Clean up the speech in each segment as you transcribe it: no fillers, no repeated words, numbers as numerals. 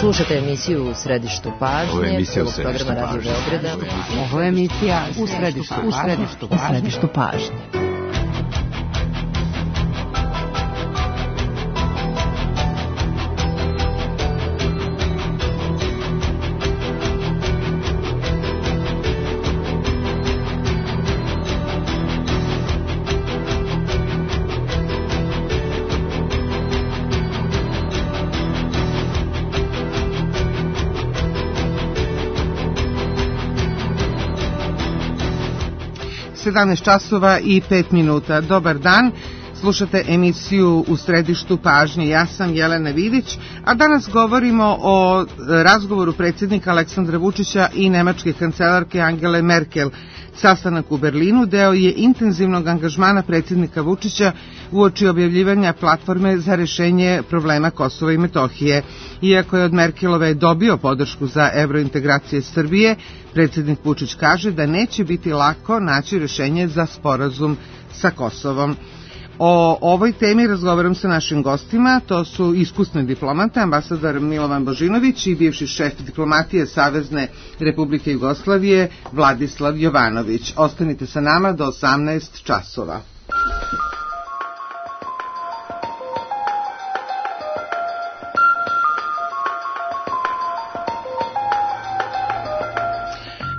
Slušate emisiju U središtu pažnje, prvog programa Radio Beograda. Ovo je emisija U središtu pažnje. časova i 5 minuta. Dobar dan, slušate emisiju U središtu pažnje. Ja sam Jelena Vidić, a danas govorimo o razgovoru predsjednika Aleksandra Vučića i nemačke kancelarke Angele Merkel. Sastanak u Berlinu deo je intenzivnog angažmana predsjednika Vučića uoči objavljivanja platforme za rešenje problema Kosova i Metohije. Iako je od Merkelove dobio podršku za evrointegracije Srbije, predsjednik Vučić kaže da neće biti lako naći rešenje za sporazum sa Kosovom. O ovoj temi razgovaram sa našim gostima, to su iskusni diplomata, ambasador Milovan Božinović i bivši šef diplomatije Savezne Republike Jugoslavije Vladislav Jovanović. Ostanite sa nama do 18 časova.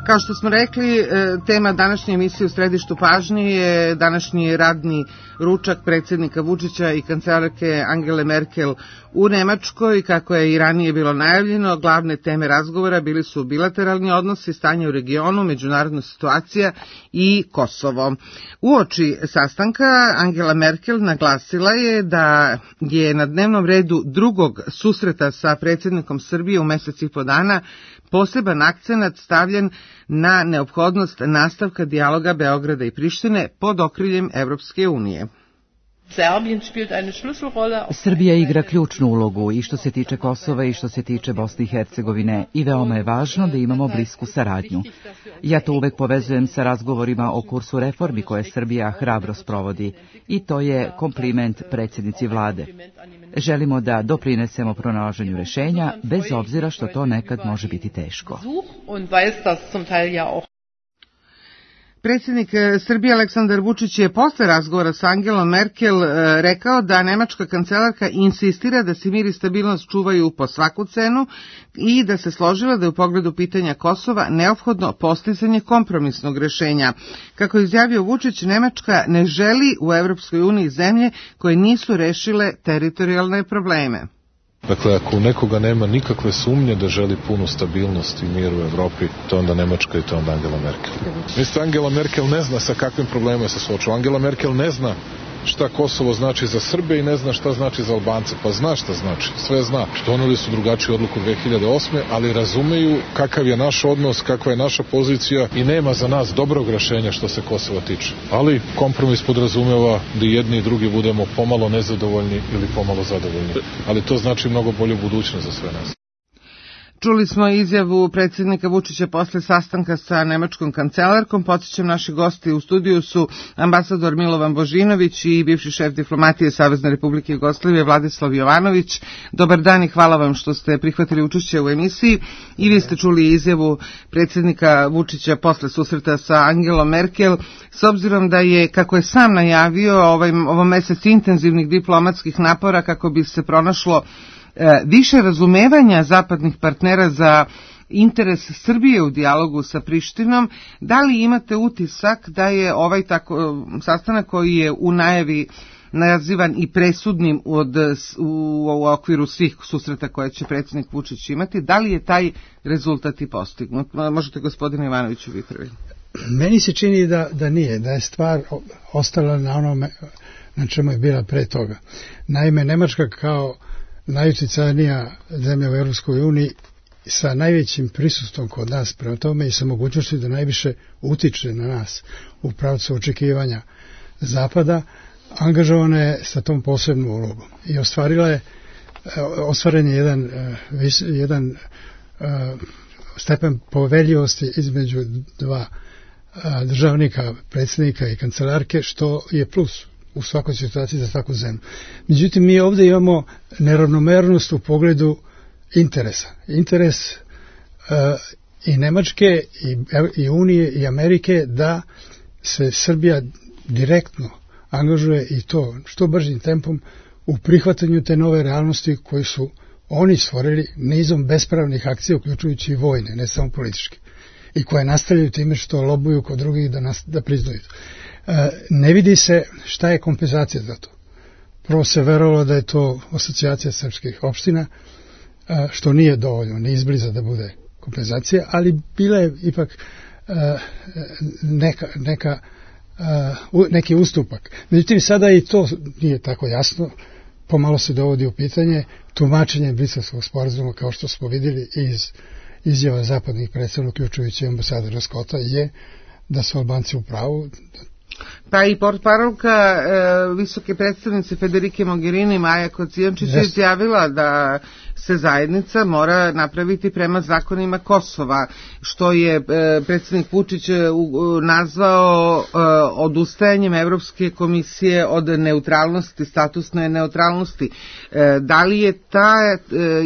Kao što smo rekli, tema današnje emisije U središtu pažnje je današnji radni ručak predsjednika Vučića i kancelarke Angele Merkel u Nemačkoj. Kako je i ranije bilo najavljeno, glavne teme razgovora bili su bilateralni odnosi, stanje u regionu, međunarodna situacija i Kosovo. Uoči sastanka Angela Merkel naglasila je da je na dnevnom redu drugog susreta sa predsjednikom Srbije u mesec i po dana poseban akcenat stavljen na neophodnost nastavka dijaloga Beograda i Prištine pod okriljem Evropske unije. Srbija igra ključnu ulogu i što se tiče Kosova i što se tiče Bosne i Hercegovine i veoma je važno da imamo blisku saradnju. Ja to uvek povezujem sa razgovorima o kursu reformi koje Srbija hrabro sprovodi i to je kompliment predsjednici vlade. Želimo da doprinesemo pronalaženju rešenja bez obzira što to nekad može biti teško. Predsjednik Srbije Aleksandar Vučić je posle razgovora sa Angelom Merkel rekao da nemačka kancelarka insistira da se mir i stabilnost čuvaju po svaku cenu i da se složila da je u pogledu pitanja Kosova neophodno postizanje kompromisnog rešenja. Kako je izjavio Vučić, Nemačka ne želi u Evropskoj uniji zemlje koje nisu rešile teritorijalne probleme. Dakle, ako u nekoga nema nikakve sumnje da želi punu stabilnost i mir u Evropi, to onda Nemačka i to onda Angela Merkel. Mislite, Angela Merkel ne zna sa kakvim problemima se suočava. Angela Merkel ne zna šta Kosovo znači za Srbe i ne zna šta znači za Albance. Pa zna šta znači, sve zna. Doneli su drugačiju odluku 2008. ali razumeju kakav je naš odnos, kakva je naša pozicija i nema za nas dobrog rešenja što se Kosova tiče. Ali kompromis podrazumeva da jedni i drugi budemo pomalo nezadovoljni ili pomalo zadovoljni. Ali to znači mnogo bolju budućnost za sve nas. Čuli smo izjavu predsjednika Vučića posle sastanka sa nemačkom kancelarkom. Podsjećam, naši gosti u studiju su ambasador Milovan Božinović i bivši šef diplomatije Savezne Republike Jugoslavije Vladislav Jovanović. Dobar dan i hvala vam što ste prihvatili učešće u emisiji. I vi ste čuli izjavu predsjednika Vučića posle susreta sa Angelom Merkel. S obzirom da je, kako je sam najavio, ovo mesec intenzivnih diplomatskih napora kako bi se pronašlo više razumevanja zapadnih partnera za interes Srbije u dijalogu sa Prištinom, da li imate utisak da je ovaj sastanak koji je u najavi nazivan i presudnim u okviru svih susreta koje će predsjednik Vučić imati, da li je taj rezultat i postignut? Možete, gospodine Ivanoviću, vi prvi. Meni se čini da nije, da je stvar ostala na onome na čemu je bila pre toga. Naime, Nemačka kao najuticajnija zemlja u Europskoj uniji sa najvećim prisustvom kod nas prema tome i sa mogućnosti da najviše utiče na nas u pravcu očekivanja Zapada, angažovana je sa tom posebnom ulogom i ostvaren je jedan stepen poveljivosti između dva državnika, predsjednika i kancelarke, što je plus u svakoj situaciji za svaku zemlju. Međutim, mi ovdje imamo neravnomernost u pogledu interesa. Interes i Nemačke i Unije i Amerike da se Srbija direktno angažuje i to što bržim tempom u prihvatanju te nove realnosti koje su oni stvorili nizom bespravnih akcija, uključujući i vojne, ne samo političke, i koje nastavljaju time što lobuju kod drugih da priznaju. Ne vidi se šta je kompenzacija za to. Prvo se verovalo da je to asocijacija srpskih opština, što nije dovoljno, ni izbliza da bude kompenzacija, ali bila je ipak neki ustupak. Međutim, sada i to nije tako jasno, pomalo se dovodi u pitanje tumačenje Briselskog sporazuma, kao što smo vidjeli iz izjava zapadnih predstavnika, uključujući ambasadora Scotta, je da su Albanci u pravu. Pa i portparolka visoke predstavnice Federike Mogherini, Maja Kocijančić, je izjavila da se zajednica mora napraviti prema zakonima Kosova, što je predsjednik Vučić nazvao odustajanjem Evropske komisije od neutralnosti, statusne neutralnosti. Da li je ta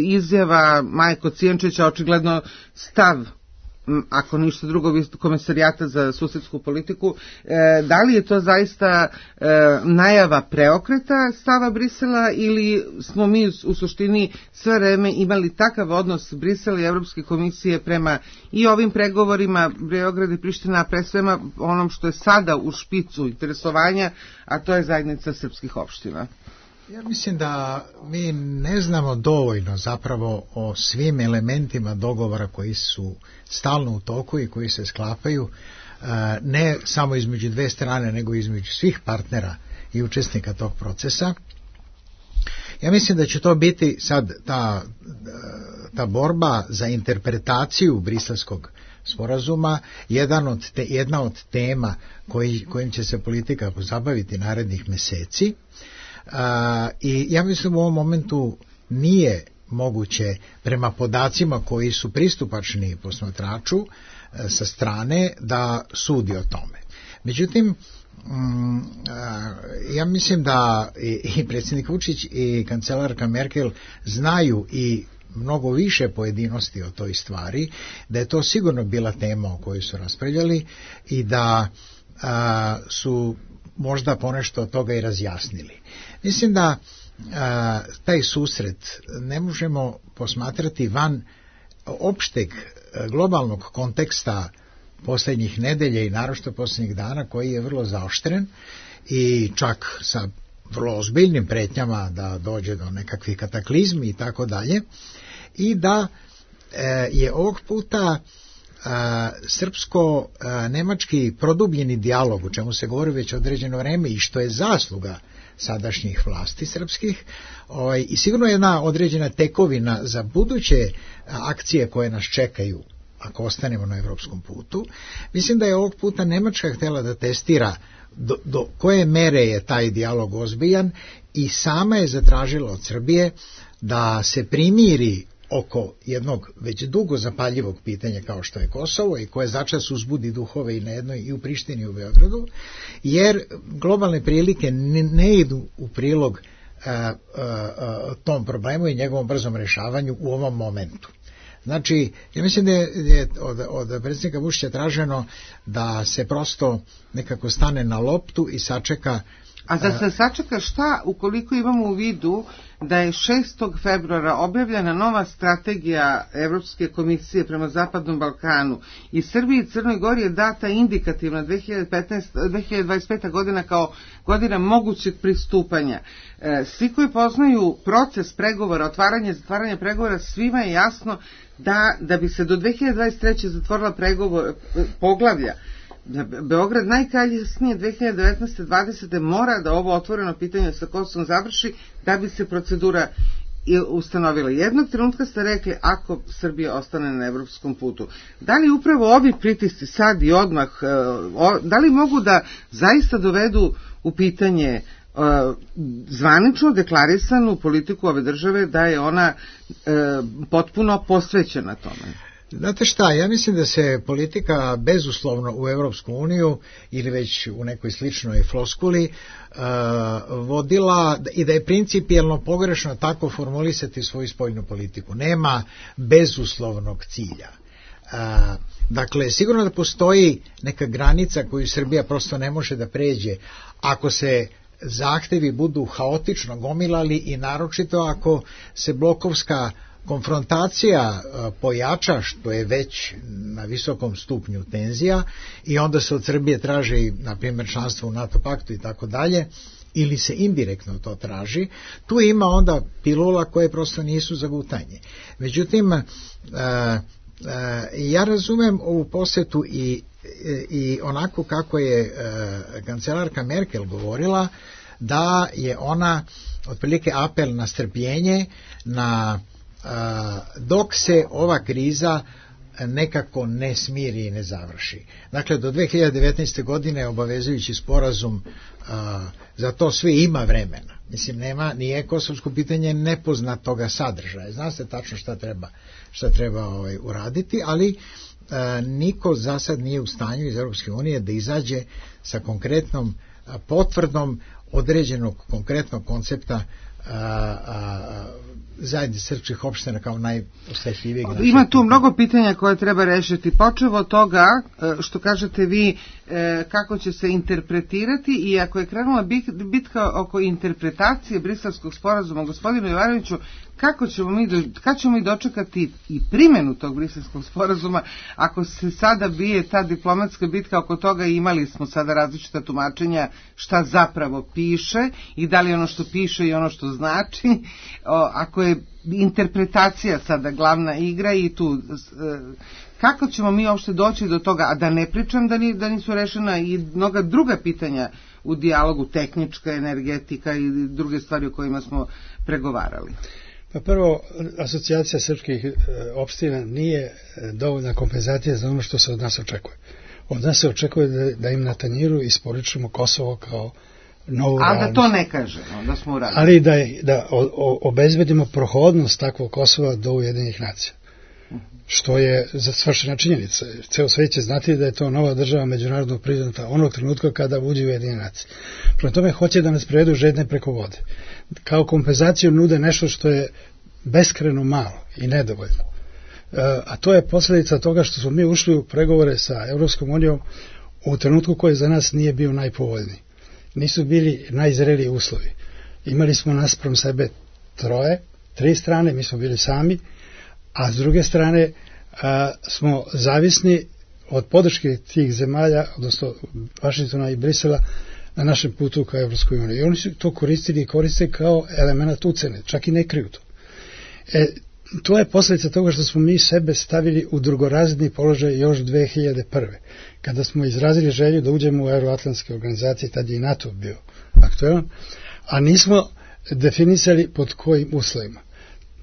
izjava Maje Kocijančića očigledno stav, ako ništa drugo, Komesarijata za susedsku politiku, da li je to zaista najava preokreta stava Brisela ili smo mi u suštini sve vreme imali takav odnos Brisela i Evropske komisije prema i ovim pregovorima Beograd i Priština, a pre svema onom što je sada u špicu interesovanja, a to je zajednica srpskih opština? Ja mislim da mi ne znamo dovoljno zapravo o svim elementima dogovora koji su stalno u toku i koji se sklapaju, ne samo između dve strane, nego između svih partnera i učesnika tog procesa. Ja mislim da će to biti sad ta borba za interpretaciju Briselskog sporazuma jedna od tema kojim će se politika pozabaviti narednih meseci. I ja mislim u ovom momentu nije moguće prema podacima koji su pristupačni posmatraču sa strane da sudi o tome. Međutim, ja mislim da i predsjednik Vučić i kancelarka Merkel znaju i mnogo više pojedinosti o toj stvari, da je to sigurno bila tema o kojoj su raspravljali i da su možda ponešto od toga i razjasnili. Mislim da taj susret ne možemo posmatrati van opšteg globalnog konteksta posljednjih nedelja i naročito posljednjih dana, koji je vrlo zaoštren i čak sa vrlo ozbiljnim pretnjama da dođe do nekakvih kataklizmi i tako dalje, i da je ovog puta srpsko-nemački produbljeni dijalog, o čemu se govori već određeno vreme i što je zasluga sadašnjih vlasti srpskih, i sigurno jedna određena tekovina za buduće akcije koje nas čekaju ako ostanemo na evropskom putu. Mislim da je ovog puta Nemačka htjela da testira do koje mere je taj dijalog ozbiljan i sama je zatražila od Srbije da se primiri oko jednog već dugo zapaljivog pitanja kao što je Kosovo i koje začas uzbudi duhove i na jednoj i u Prištini i u Beogradu, jer globalne prilike ne idu u prilog tom problemu i njegovom brzom rješavanju u ovom momentu. Znači, ja mislim da je od predsjednika Vučića traženo da se prosto nekako stane na loptu i sačeka. A da se sačeka šta ukoliko imamo u vidu da je 6. februara objavljena nova strategija Evropske komisije prema Zapadnom Balkanu i Srbiji i Crnoj Gori je data indikativna 2025. godina kao godina mogućeg pristupanja. Svi koji poznaju proces pregovora, otvaranje i zatvaranje pregovora, svima je jasno da bi se do 2023. zatvorila poglavlja, Beograd najkasnije 2019-2020 mora da ovo otvoreno pitanje sa Kosovom završi da bi se procedura ustanovila. Jednog trenutka ste rekli ako Srbija ostane na evropskom putu. Da li upravo ovi pritisci sad i odmah, da li mogu da zaista dovedu u pitanje zvanično deklarisanu politiku ove države da je ona potpuno posvećena tome? Znate šta, ja mislim da se politika bezuslovno u Evropsku uniju ili već u nekoj sličnoj floskuli vodila i da je principijelno pogrešno tako formulisati svoju spoljnu politiku. Nema bezuslovnog cilja. Dakle, sigurno da postoji neka granica koju Srbija prosto ne može da pređe ako se zahtevi budu haotično gomilali i naročito ako se blokovska konfrontacija pojača, što je već na visokom stupnju tenzija, i onda se od Srbije traži, na primjer, članstvo u NATO paktu i tako dalje, ili se indirektno to traži, tu ima onda pilula koje prosto nisu za gutanje. Međutim, ja razumem ovu posetu i onako kako je kancelarka Merkel govorila, da je ona otprilike apel na strpljenje, na dok se ova kriza nekako ne smiri i ne završi. Dakle, do 2019. godine obavezujući sporazum, za to sve ima vremena. Mislim, nije kosovsko pitanje nepoznatoga sadržaja. Zna se tačno šta treba uraditi, ali niko za sad nije u stanju iz Europske unije da izađe sa konkretnom potvrdom određenog konkretnog koncepta zajednice srpskih opština kao najosetljivijeg. Ima tu mnogo pitanja koje treba rešiti, počevo od toga što kažete vi kako će se interpretirati, i ako je krenula bitka oko interpretacije Briselskog sporazuma, gospodine Jovanoviću, kad ćemo mi dočekati i primjenu tog Briselskog sporazuma ako se sada bije ta diplomatska bitka oko toga, i imali smo sada različita tumačenja šta zapravo piše i da li ono što piše i ono što znači, ako je interpretacija sada glavna igra, i tu kako ćemo mi uopšte doći do toga, a da ne pričam da nisu rešena i mnoga druga pitanja u dijalogu, tehnička, energetika i druge stvari o kojima smo pregovarali. Pa prvo, asocijacija srpskih opština nije dovoljna kompenzacija za ono što se od nas očekuje. Od nas se očekuje da im na tanjiru isporučimo Kosovo kao novu realnost. A da to ne kažemo, da smo uradili. Ali da obezbedimo prohodnost takvog Kosova do Ujedinjenih nacija. Što je svršena činjenica. Ceo svijet će znati da je to nova država međunarodnog priznata onog trenutka kada uđe u Ujedinjene nacije. Prema tome hoće da nas prevedu žedne preko vode. Kao kompenzaciju nude nešto što je beskreno malo i nedovoljno. A to je posljedica toga što smo mi ušli u pregovore sa Evropskom unijom u trenutku koji za nas nije bio najpovoljniji. Nisu bili najzreliji uslovi. Imali smo naspram sebe tri strane, mi smo bili sami, a s druge strane smo zavisni od podrške tih zemalja, odnosno Vašingtona i Brisela, na našem putu ka Evropskoj uniji. I oni su to koristili i koriste kao element ucene, čak i ne kriju to. To je posljedica toga što smo mi sebe stavili u drugorazredni položaj još 2001. Kada smo izrazili želju da uđemo u euroatlantske organizacije, tad je i NATO bio aktualan, a nismo definisali pod kojim uslovima.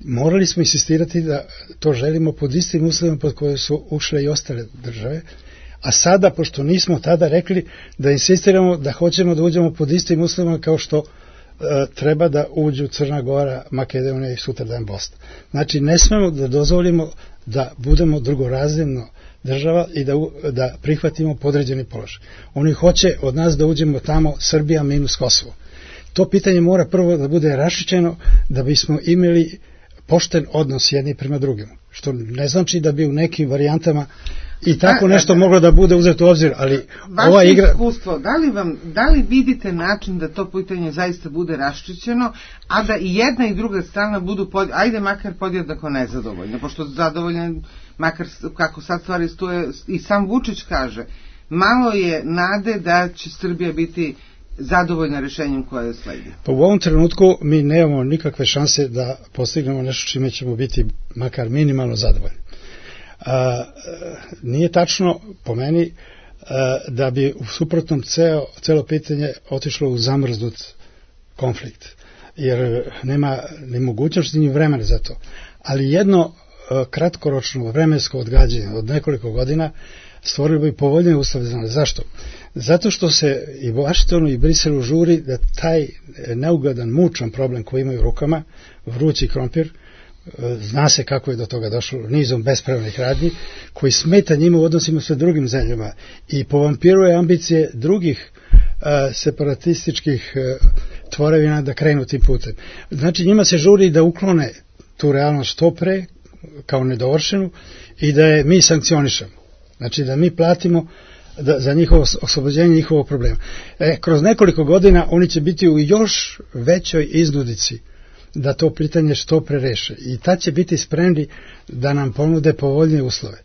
Morali smo insistirati da to želimo pod istim uslovima pod koje su ušle i ostale države, a sada, pošto nismo tada rekli da insistiramo da hoćemo da uđemo pod istim uslovima kao što treba da uđu Crna Gora, Makedonija i sutradan Bosna. Znači, ne smemo da dozvolimo da budemo drugorazredna država i da prihvatimo podređeni položaj. Oni hoće od nas da uđemo tamo Srbija minus Kosovo. To pitanje mora prvo da bude raščišćeno da bismo imali pošten odnos jedni prema drugim. Što ne znači da bi u nekim varijantama i tako nešto moglo da bude uzeto u obzir, ali ova igra... Vaše iskustvo, da li vidite način da to pitanje zaista bude raščišćeno, a da i jedna i druga strana budu, ajde makar podjednako nezadovoljne, pošto zadovoljne, makar kako sad stvari stoje, i sam Vučić kaže, malo je nade da će Srbija biti zadovoljna rešenjem koje sledi. Pa u ovom trenutku mi nemamo nikakve šanse da postignemo nešto čime ćemo biti makar minimalno zadovoljni. Nije tačno, po meni, da bi u suprotnom celo pitanje otišlo u zamrznut konflikt, jer nema ni mogućnosti ni vremena za to. Ali jedno kratkoročno vremensko odgađanje od nekoliko godina stvorilo bi povoljnije uslove za nas. Zašto? Zato što se i Vašingtonu i Briselu žuri da taj neugodan, mučan problem koji imaju u rukama, vrući krompir, zna se kako je do toga došlo nizom bespravnih radnji koji smeta njima u odnosima sa drugim zemljama i povampiruje ambicije drugih separatističkih tvorevina da krenu tim putem. Znači njima se žuri da uklone tu realnost što pre kao nedovršenu i da je mi sankcionišemo. Znači da mi platimo za njihovo oslobođenje njihovog problema. Kroz nekoliko godina oni će biti u još većoj iznudici da to pitanje što pre reše i tad će biti spremni da nam ponude povoljnije uslove,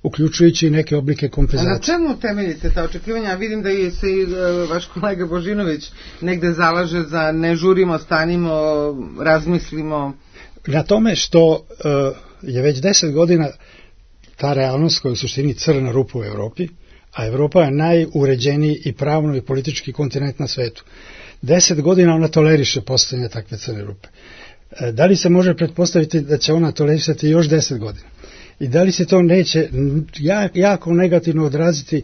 uključujući i neke oblike kompenzacije. A na čemu temeljite ta očekivanja? Vidim da je se i vaš kolega Božinović negde zalaže za ne žurimo, stanimo, razmislimo. Na tome što je već 10 godina ta realnost koja je u suštini crna rupa u Evropi, a Evropa je najuređeniji i pravno i politički kontinent na svetu. 10 godina ona toleriše postojanje takve crne rupe. Da li se može pretpostaviti da će ona tolerisati još 10 godina? I da li se to neće jako negativno odraziti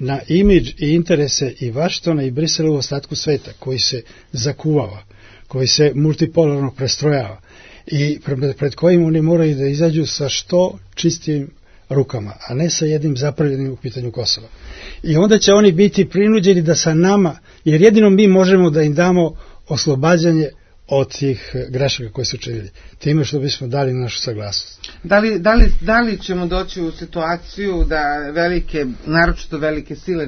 na imidž i interese i Vašingtona i Brisela u ostatku sveta, koji se zakuvava, koji se multipolarno prestrojava i pred kojim oni moraju da izađu sa što čistim rukama, a ne sa jednim zapravljenim u pitanju Kosova. I onda će oni biti prinuđeni da sa nama, jer jedino mi možemo da im damo oslobađanje od tih grešaka koje su učinili, time što bismo dali našu saglasnost. Da li ćemo doći u situaciju da velike, naročito velike sile,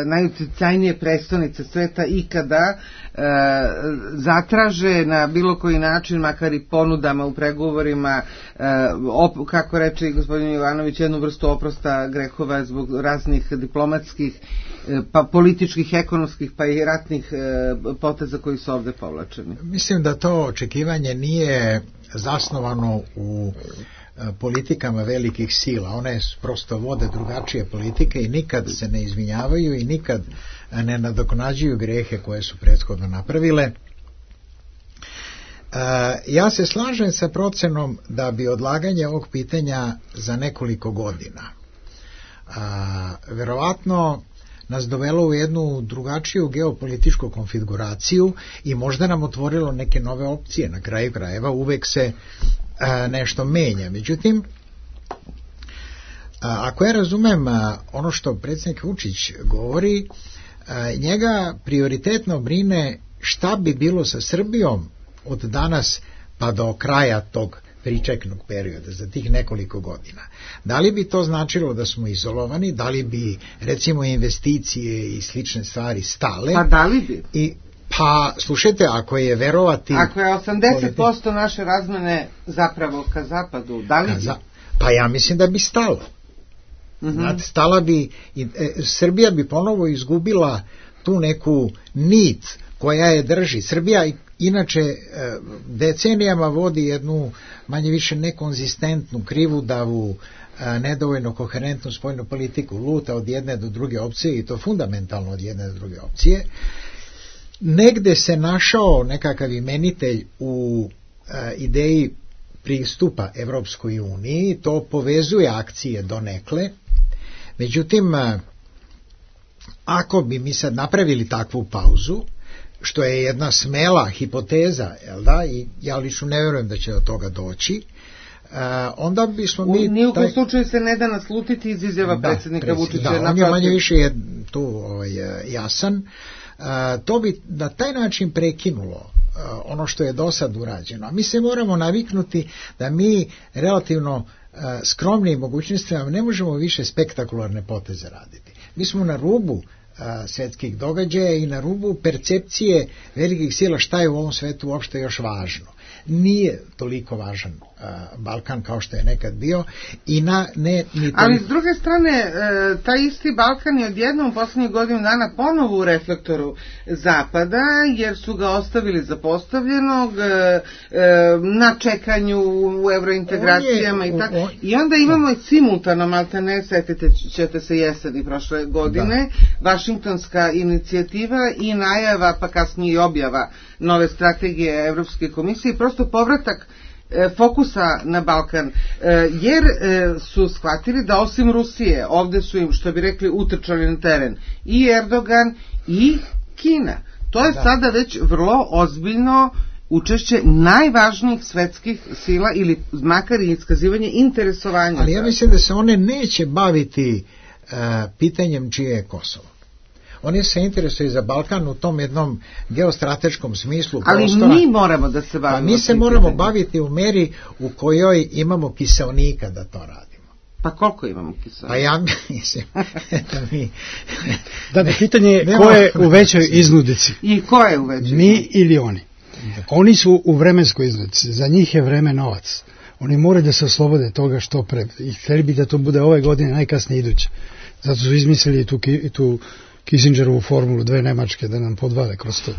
najuticajnije prestonice sveta ikada zatraže na bilo koji način, makar i ponudama u pregovorima, kako reče i gospodin Jovanović, jednu vrstu oprosta grehova zbog raznih diplomatskih, pa političkih, ekonomskih, pa i ratnih poteza koji su ovde povlačeni? Mislim da to očekivanje nije zasnovano u politikama velikih sila. One prosto vode drugačije politike i nikad se ne izvinjavaju i nikad ne nadoknađuju grehe koje su prethodno napravile. Ja se slažem sa procenom da bi odlaganje ovog pitanja za nekoliko godina verovatno nas dovelo u jednu drugačiju geopolitičku konfiguraciju i možda nam otvorilo neke nove opcije. Na kraju krajeva uvek se nešto menja. Međutim, ako ja razumem ono što predsjednik Vučić govori, njega prioritetno brine šta bi bilo sa Srbijom od danas pa do kraja tog pričeknog perioda, za tih nekoliko godina. Da li bi to značilo da smo izolovani, da li bi recimo investicije i slične stvari stale? Pa da li bi? Pa, slušajte, ako je verovati... Ako je 80% naše razmene zapravo ka zapadu, da li bi? Pa ja mislim da bi stalo. Znate, stala bi... Srbija bi ponovo izgubila tu neku nit koja je drži. Srbija inače decenijama vodi jednu manje više nekonzistentnu, krivudavu, nedovoljno koherentnu spoljnu politiku, luta od jedne do druge opcije i to fundamentalno od jedne do druge opcije. Negde se našao nekakav imenitelj u ideji pristupa Evropskoj uniji, to povezuje akcije donekle. Međutim, ako bi mi sad napravili takvu pauzu, što je jedna smela hipoteza, jel da, i ja lično ne vjerujem da će do toga doći, onda bismo mi... Nijekom slučaju se ne da naslutiti iz izjava predsjednika Vučića. Da, on je manje više tu jasan. To bi na taj način prekinulo ono što je do sad urađeno. A mi se moramo naviknuti da mi relativno skromnim mogućnostima ne možemo više spektakularne poteze raditi. Mi smo na rubu svetskih događaja i na rubu percepcije velikih sila šta je u ovom svetu uopšte još važno. Nije toliko važan Balkan kao što je nekad bio i ali s druge strane taj isti Balkan je odjednom u poslednjih godinu dana ponovo u reflektoru Zapada, jer su ga ostavili zapostavljenog na čekanju u evrointegracijama i tako. I onda imamo simultano, maltene, setite ćete se jeseni prošle godine, Vašingtonska inicijativa i najava, pa kasnije i objava nove strategije Evropske komisije, prosto povratak fokusa na Balkan, jer su shvatili da osim Rusije, ovde su im, što bi rekli, utrčali na teren i Erdogan i Kina. To je sada već vrlo ozbiljno učešće najvažnijih svetskih sila ili makar i iskazivanje interesovanja. Ali ja mislim da se one neće baviti pitanjem čije je Kosovo. Oni se interesuju za Balkan u tom jednom geostrateškom smislu prostora. Ali mi moramo da se bavimo. Mi se moramo baviti u meri u kojoj imamo kiseonika da to radimo. Pa koliko imamo kiseonika? Pa ja mislim da mi... Da, pitanje je ko je u većoj iznudici. I ko je u većoj? Mi ili oni. Oni su u vremenskoj iznudici. Za njih je vreme novac. Oni moraju da se oslobode toga što pre. I htjeli bi da to bude ove godine najkasnije iduće. Zato su izmislili tu Kissingerovu formulu 2 Nemačke da nam podvale kroz to.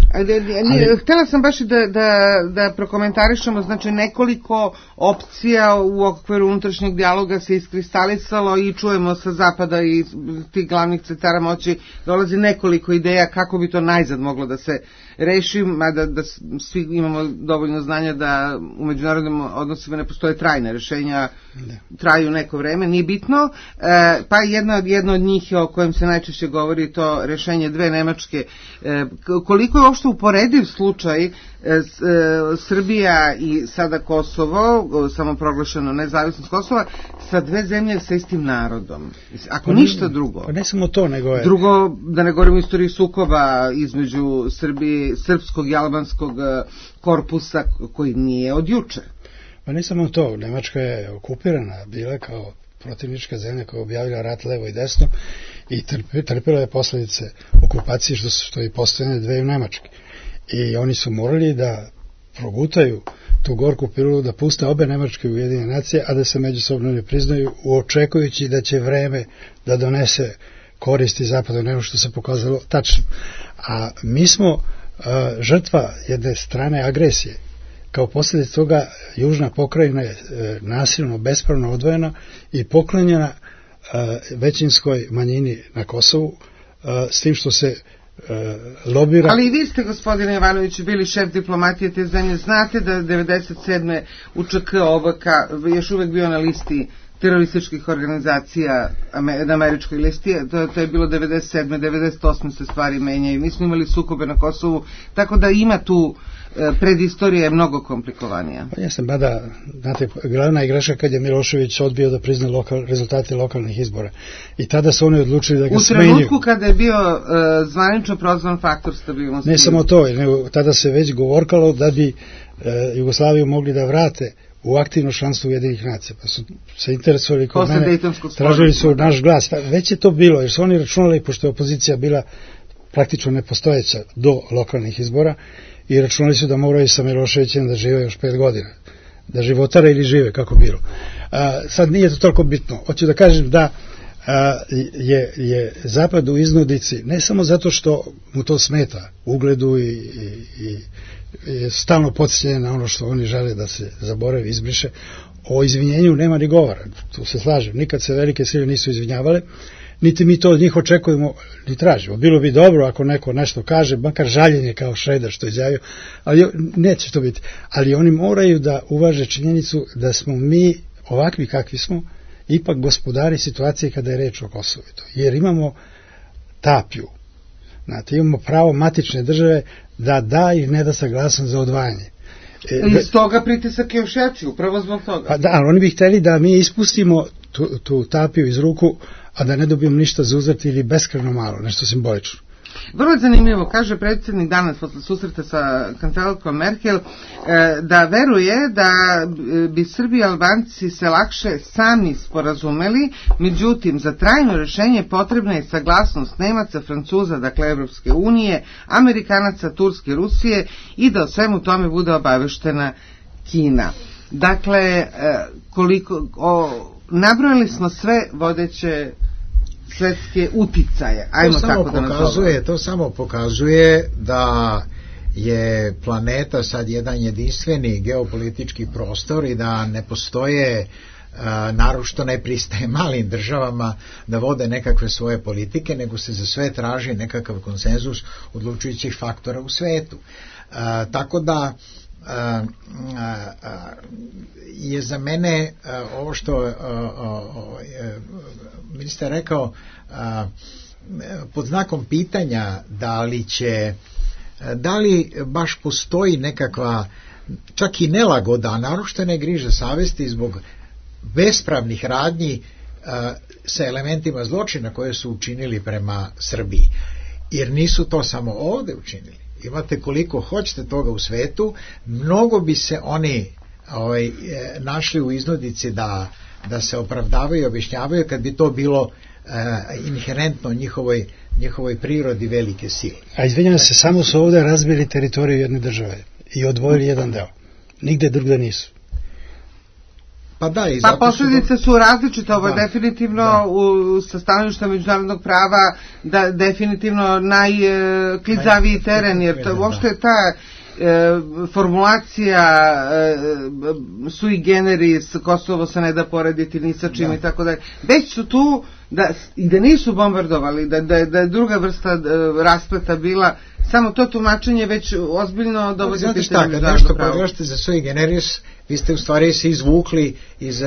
Htjela sam baš da prokomentarišemo, znači nekoliko opcija u okviru unutrašnjeg dijaloga se iskristalisalo i čujemo sa zapada i tih glavnih centara moći dolazi nekoliko ideja kako bi to najzad moglo da se reši, mada da svi imamo dovoljno znanja da u međunarodnim odnosima ne postoje trajne rješenja, traju neko vreme, nije bitno, pa jedno od njih o kojem se najčešće govori to rješenje 2 Nemačke. Koliko je uopšte uporediv slučaj Srbija i sada Kosovo, samoproglašeno nezavisnost Kosova, sa 2 zemlje sa istim narodom. Ako ništa drugo. Pa ne samo to, nego je... Drugo, da ne govorimo o istoriji sukoba između srpskog i albanskog korpusa koji nije od juče. Pa ne samo to, Nemačka je okupirana bila kao protivnička zemlja koja je objavila rat levo i desno i trpila je posljedice okupacije što je postojanje 2 Nemačke. I oni su morali da progutaju tu gorku pilu, da puste obe Nemačke Ujedinjene nacije, a da se međusobno ne priznaju, očekujući da će vreme da donese koristi zapadu, nego što se pokazalo tačno. A mi smo žrtva jedne strane agresije. Kao posljedica toga južna pokrajina je nasilno, bespravno odvojena i poklonjena većinskoj manjini na Kosovu, s tim što se lobira. Ali i vi ste, gospodine Jovanoviću, bili šef diplomatije te zemlje. Znate da 97. UČK OVK još uvek bio na listi terorističkih organizacija na američkoj listi, to je bilo 97. 98. se stvari menjaju. Mi smo imali sukobe na Kosovu, tako da ima tu predistorija je mnogo komplikovanija. Pa jesam, bada, znate, glavna igraša kad je Milošević odbio da prizna rezultate lokalnih izbora. I tada su oni odlučili da ga smenju. U trenutku kada je bio zvanično prozvan faktor stabilnosti. Ne samo to, nego tada se već govorkalo da bi Jugoslaviju mogli da vrate u aktivno članstvo Ujedinjenih nacija. Pa su se interesovali kod mene, tražili su naš glas. Već je to bilo, jer su oni računali, pošto je opozicija bila praktično nepostojeća do lokalnih izbora, i računali su da moraju sa Miloševićem da žive još 5 godina. Da životare ili žive, kako bilo. Sad nije to toliko bitno. Hoću da kažem da je Zapad u iznudici, ne samo zato što mu to smeta ugledu i stalno podsjećanje na ono što oni žele da se zaboravi, izbriše. O izvinjenju nema ni govora, tu se slažem. Nikad se velike sile nisu izvinjavale, niti mi to od njih očekujemo ni tražimo. Bilo bi dobro ako neko nešto kaže, makar žaljenje kao Šreder što je izjavio, ali neće to biti. Ali oni moraju da uvaže činjenicu da smo mi ovakvi kakvi smo ipak gospodari situacije kada je reč o Kosovu. Jer imamo tapiju. Znate, imamo pravo matične države da i ne da saglasnost za odvajanje. I stoga pritisak je još jači, upravo zbog toga. Pa da, ali oni bi htjeli da mi ispustimo tu tapiju iz ruku, a da ne dobijemo ništa za uzrat ili beskrajno malo, nešto simbolično. Vrlo zanimljivo, kaže predsjednik danas posle susreta sa kancelarkom Merkel da veruje da bi Srbi i Albanci se lakše sami sporazumeli, međutim za trajno rješenje potrebna je saglasnost Nemaca, Francuza, dakle Evropske unije, Amerikanaca, Turske, Rusije i da o svemu tome bude obaveštena Kina. Dakle, nabrojali smo sve vodeće svetske uticaje. To samo pokazuje da je planeta sad jedan jedinstveni geopolitički prostor i da ne postoje, naročito ne pristaje malim državama da vode nekakve svoje politike, nego se za sve traži nekakav konsenzus odlučujućih faktora u svetu. Tako da je za mene ovo što ministar rekao pod znakom pitanja da li će da li baš postoji nekakva čak i nelagoda, a naroštene griže savesti zbog bespravnih radnji sa elementima zločina koje su učinili prema Srbiji. Jer nisu to samo ovde učinili. Imate koliko hoćete toga u svetu, mnogo bi se oni našli u iznudici da se opravdavaju i objašnjavaju kad bi to bilo inherentno njihovoj prirodi velike sile. A izvinjam se, samo su ovde razbili teritoriju jedne države i odvojili jedan deo. Nigde drugde nisu. Pa posljedice su različite, ovo je definitivno sa stanovišta međunarodnog prava definitivno najklizaviji teren, jer to uopšte ta formulacija sui generis, Kosovo se ne da porediti ni sa čim i tako dalje. Već su tu da nisu bombardovali, da je druga vrsta raspleta bila, samo to tumačenje već ozbiljno dovodi pitanje. Znate šta, kad nešto pogledašte za sui generis, vi ste u stvari se izvukli iz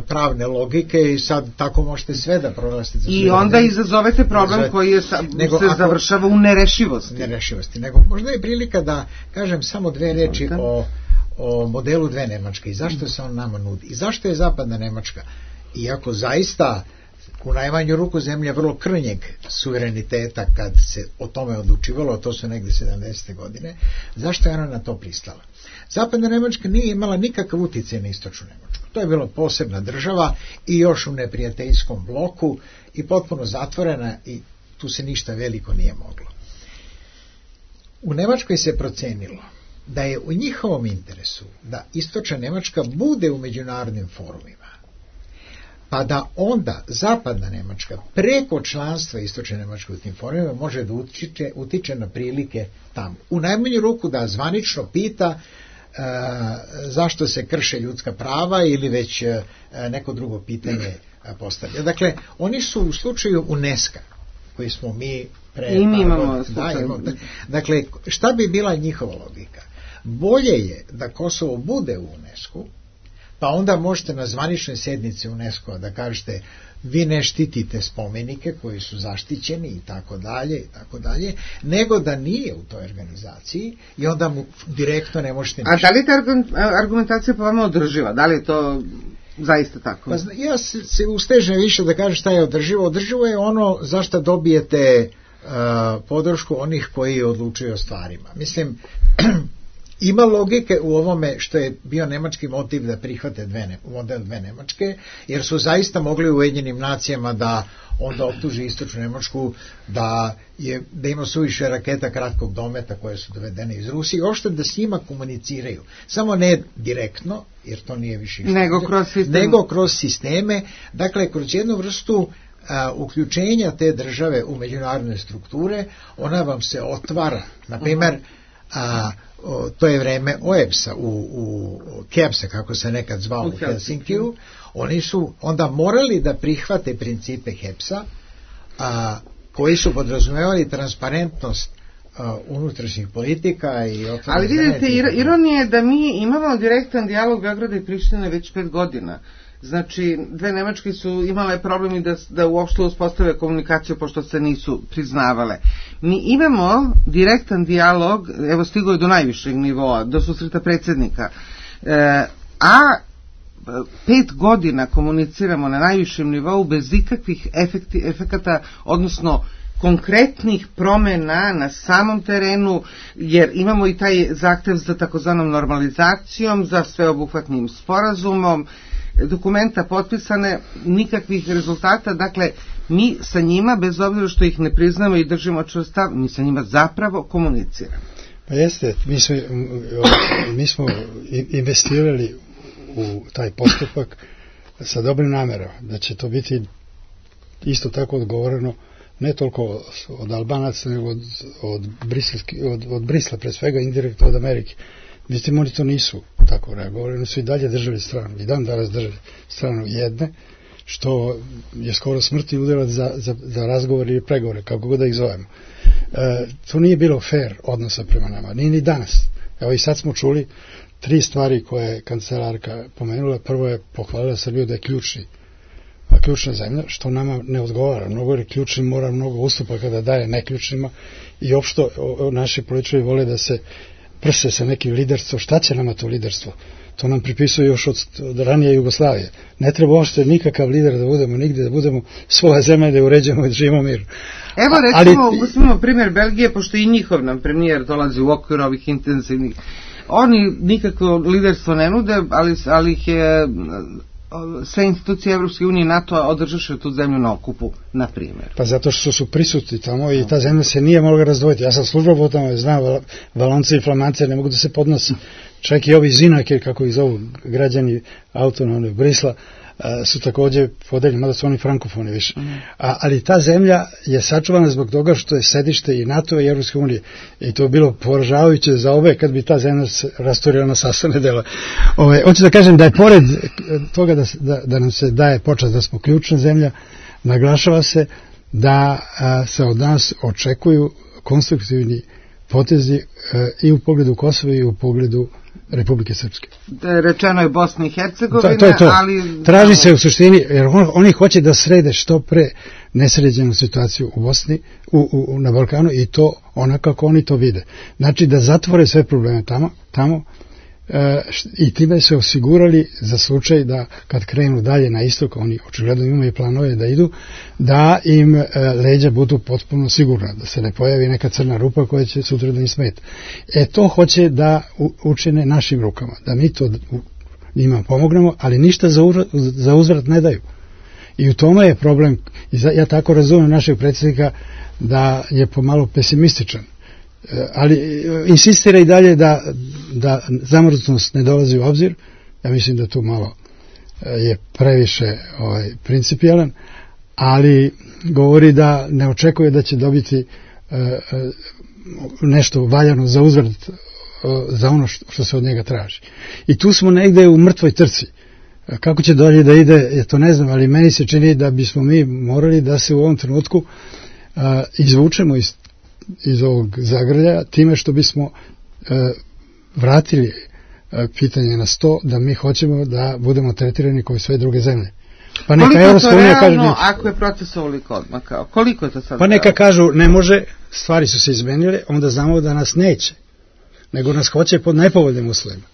pravne logike i sad tako možete sve da proglasite za sui generis. I onda izazovete problem koji se završava u nerešivosti. Nego možda je prilika da kažem samo dve reči o modelu dve Nemačke i zašto se on nama nudi i zašto je zapadna Nemačka, iako zaista u najmanju ruku zemlja vrlo krnjeg suvereniteta kad se o tome odlučivalo, to su negde 70. godine, zašto je ona na to pristala? Zapadna Nemačka nije imala nikakav uticaj na istočnu Nemačku. To je bila posebna država i još u neprijateljskom bloku i potpuno zatvorena i tu se ništa veliko nije moglo. U Nemačkoj se procenilo da je u njihovom interesu da istočna Nemačka bude u međunarodnim forumima, pa da onda zapadna Nemačka preko članstva istočne Nemačke u tim forumima može da utiče na prilike tamo. U najmanju ruku da zvanično pita zašto se krše ljudska prava ili već neko drugo pitanje postavlja. Dakle, oni su u slučaju UNESCO koji smo mi dakle, šta bi bila njihova logika? Bolje je da Kosovo bude u UNESCO, pa onda možete na zvaničnoj sednici UNESCO da kažete vi ne štitite spomenike koji su zaštićeni i tako dalje, nego da nije u toj organizaciji i onda mu direktno ne možete ništa. A da li ta argumentacija po vama održiva? Da li je to zaista tako? Pa, ja se ustežem više da kažem šta je održivo. Održivo je ono zašto dobijete podršku onih koji odlučuju o stvarima. Mislim, ima logike u ovome što je bio nemački motiv da prihvate model dve Nemačke, jer su zaista mogli u Ujedinjenim nacijama da onda optuži istočnu Nemačku da ima suviše raketa kratkog dometa koje su dovedene iz Rusije, ošte da s njima komuniciraju. Samo ne direktno, jer to nije više nego kroz sisteme, dakle kroz jednu vrstu uključenja te države u međunarodne strukture, ona vam se otvara. Na primjer, to je vreme OEBS-a, u KEBS-a, kako se nekad zvao u Helsinkiju, oni su onda morali da prihvate principe HEBS-a, koji su podrazumevali transparentnost unutrašnjih politika i otvorene. Ali vidite, ironija je da mi imamo direktan dijalog Beograda i Prištine već 5 godina. Znači, dve Nemačke su imale problemi da uopšte uspostave komunikaciju pošto se nisu priznavale. Mi imamo direktan dijalog, evo stigo je do najvišeg nivoa, do susreta predsjednika, a 5 godina komuniciramo na najvišem nivou bez ikakvih efekata, odnosno konkretnih promjena na samom terenu, jer imamo i taj zahtev za takozvanom normalizacijom, za sveobuhvatnim sporazumom, dokumenta potpisane, nikakvih rezultata. Dakle, mi sa njima, bez obzira što ih ne priznamo i držimo čvrst stav, mi sa njima zapravo komuniciramo. Pa jeste, mi smo investirali u taj postupak sa dobrim namerama, da će to biti isto tako odgovoreno ne toliko od Albanaca, nego od Brisla, pre svega indirektno od Amerike. Mislim, oni to nisu tako reagovali, oni su i dalje držali stranu, i dan danas držali stranu jedne, što je skoro smrtni udarac za razgovor ili pregovore, kako god da ih zovemo. To nije bilo fair odnosa prema nama, nije ni danas. Evo i sad smo čuli 3 stvari koje je kancelarka pomenula. Prvo je pohvalila Srbiju da je ključna zemlja, što nama ne odgovara. Mnogo je ključni mora mnogo ustupa kada daje neključnima i opšto naši političari vole da se prse sa nekim liderstvom. Šta će nama to liderstvo? To nam pripisuje još od ranije Jugoslavije. Ne treba uopšte nikakav lider da budemo nigdje, da budemo svoja zemlja, da uređemo i da živimo mir. Evo recimo, uzmimo primjer Belgije, pošto i njihov nam premijer dolazi u okviru ovih intenzivnih. Oni nikakvo liderstvo ne nude, ali ih je sve institucije Evropske unije i NATO održaše tu zemlju na okupu, na primjer. Pa zato što su prisutni tamo i ta zemlja se nije mogla razdvojiti. Ja sam službao tamo, znam, Valonci i Flamance ne mogu da se podnose. Čak i ovi Zinake, kako ih zovu građani autonomne Brisla, su također podeljeni, mada su oni frankofoni više. Ali ta zemlja je sačuvana zbog toga što je sedište i NATO i Evropske unije. I to je bilo poražavajuće za obe kad bi ta zemlja se rasturila na sastavne dela. Hoću da kažem da je pored toga da nam se daje počast da smo ključna zemlja, naglašava se da se od nas očekuju konstruktivni potezi i u pogledu Kosova i u pogledu Republike Srpske. Rečeno je Bosna i Hercegovina, to. Ali... Traži se u suštini, jer oni hoće da srede što pre nesređenu situaciju u Bosni, na Balkanu i to onako kako oni to vide. Znači da zatvore sve probleme tamo i time se osigurali za slučaj da kad krenu dalje na istok, oni očigledno imaju planove da idu, da im leđa budu potpuno sigurna, da se ne pojavi neka crna rupa koja će sutra da im smeta. To hoće da učine našim rukama, da mi to njima pomognemo, ali ništa za uzvrat ne daju. I u tome je problem, ja tako razumem našeg predsjednika da je pomalo pesimističan. Ali insistira i dalje da zamrznutost ne dolazi u obzir. Ja mislim da tu malo je previše principijalan, ali govori da ne očekuje da će dobiti nešto valjano za uzvrat za ono što se od njega traži. I tu smo negde u mrtvoj trci. Kako će dalje da ide, ja to ne znam, ali meni se čini da bismo mi morali da se u ovom trenutku izvučemo iz ovog zagrljaja time što bismo vratili pitanje na sto da mi hoćemo da budemo tretirani kao i sve druge zemlje. Pa neka koliko je to realno ako je proces ovoliko odmakao? Koliko je to sad? Pa neka kažu ne može, stvari su se izmenile, onda znamo da nas neće, nego nas hoće pod nepovoljnim uslovima.